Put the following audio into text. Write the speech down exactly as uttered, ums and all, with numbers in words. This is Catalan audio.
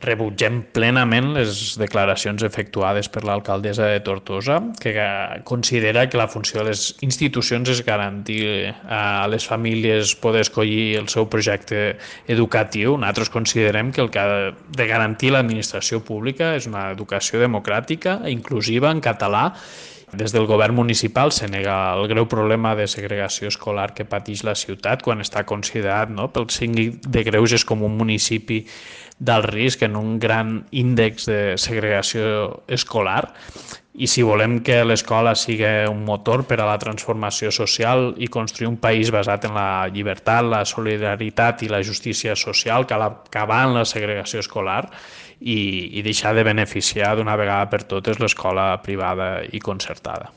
rebutgem plenament les declaracions efectuades per l'alcaldessa de Tortosa, que considera que la funció de les institucions és garantir a les famílies poder escollir el seu projecte educatiu. Nosaltres considerem que el que ha de garantir l'administració pública és una educació democràtica, inclusiva, en català. Des del govern municipal se nega el greu problema de segregació escolar que pateix la ciutat quan està considerat, no, pel síndic de Greuges com un municipi d'alt risc en un gran índex de segregació escolar. I si volem que l'escola sigui un motor per a la transformació social i construir un país basat en la llibertat, la solidaritat i la justícia social, cal acabar amb la segregació escolar i, i deixar de beneficiar d'una vegada per totes l'escola privada i concertada.